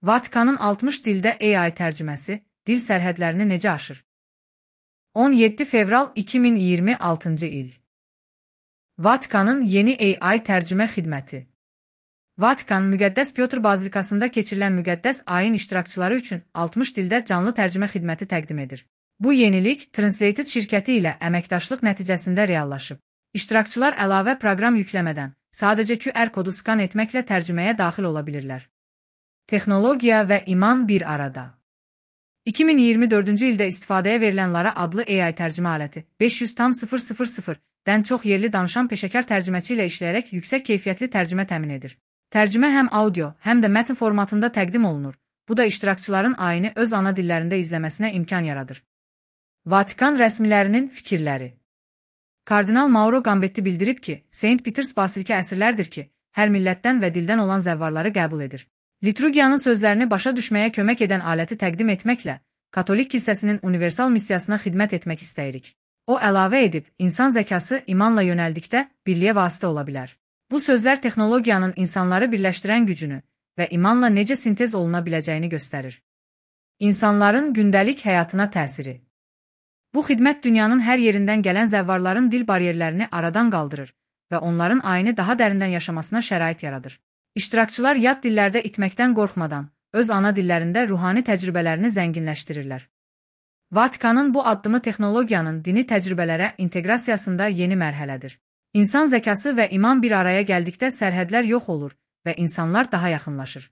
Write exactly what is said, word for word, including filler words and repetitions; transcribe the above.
Vatikanın altmış dildə A I tərcüməsi, dil sərhədlərini necə aşır? on yeddi fevral iki min iyirmi altıncı il. Vatikanın yeni A I tərcümə xidməti. Vatikan, Müqəddəs Pyotr Bazilikasında keçirilən müqəddəs ayin iştirakçıları üçün altmış dildə canlı tərcümə xidməti təqdim edir. Bu yenilik Translated şirkəti ilə əməkdaşlıq nəticəsində reallaşıb. İştirakçılar əlavə proqram yükləmədən, sadəcə Q R kodu skan etməklə tərcüməyə daxil ola bilirlər. Texnologiya və iman bir arada. iki min iyirmi dördüncü ildə istifadəyə verilən Lara adlı A I tərcümə aləti, beş yüz dən çox yerli danışan peşəkar tərcüməçi ilə işləyərək yüksək keyfiyyətli tərcümə təmin edir. Tərcümə həm audio, həm də mətn formatında təqdim olunur. Bu da iştirakçıların ayini öz ana dillərində izləməsinə imkan yaradır. Vatikan rəsmilərinin fikirləri. Kardinal Mauro Gambetti bildirib ki, Saint Peters Basilika əsrlərdir ki, hər millətdən və dildən olan zəvvarları qəbul edir. Liturgiyanın sözlərini başa düşməyə kömək edən aləti təqdim etməklə, Katolik kilsəsinin universal missiyasına xidmət etmək istəyirik. O əlavə edib, insan zəkası imanla yönəldikdə birliyə vasitə ola bilər. Bu sözlər texnologiyanın insanları birləşdirən gücünü və imanla necə sintez oluna biləcəyini göstərir. İnsanların gündəlik həyatına təsiri. Bu xidmət dünyanın hər yerindən gələn zəvvarların dil bariyerlərini aradan qaldırır və onların ayini daha dərindən yaşamasına şərait yaradır. İştirakçılar yad dillərdə itməkdən qorxmadan, öz ana dillərində ruhani təcrübələrini zənginləşdirirlər. Vatikanın bu addımı texnologiyanın dini təcrübələrə inteqrasiyasında yeni mərhələdir. İnsan zəkası və iman bir araya gəldikdə sərhədlər yox olur və insanlar daha yaxınlaşır.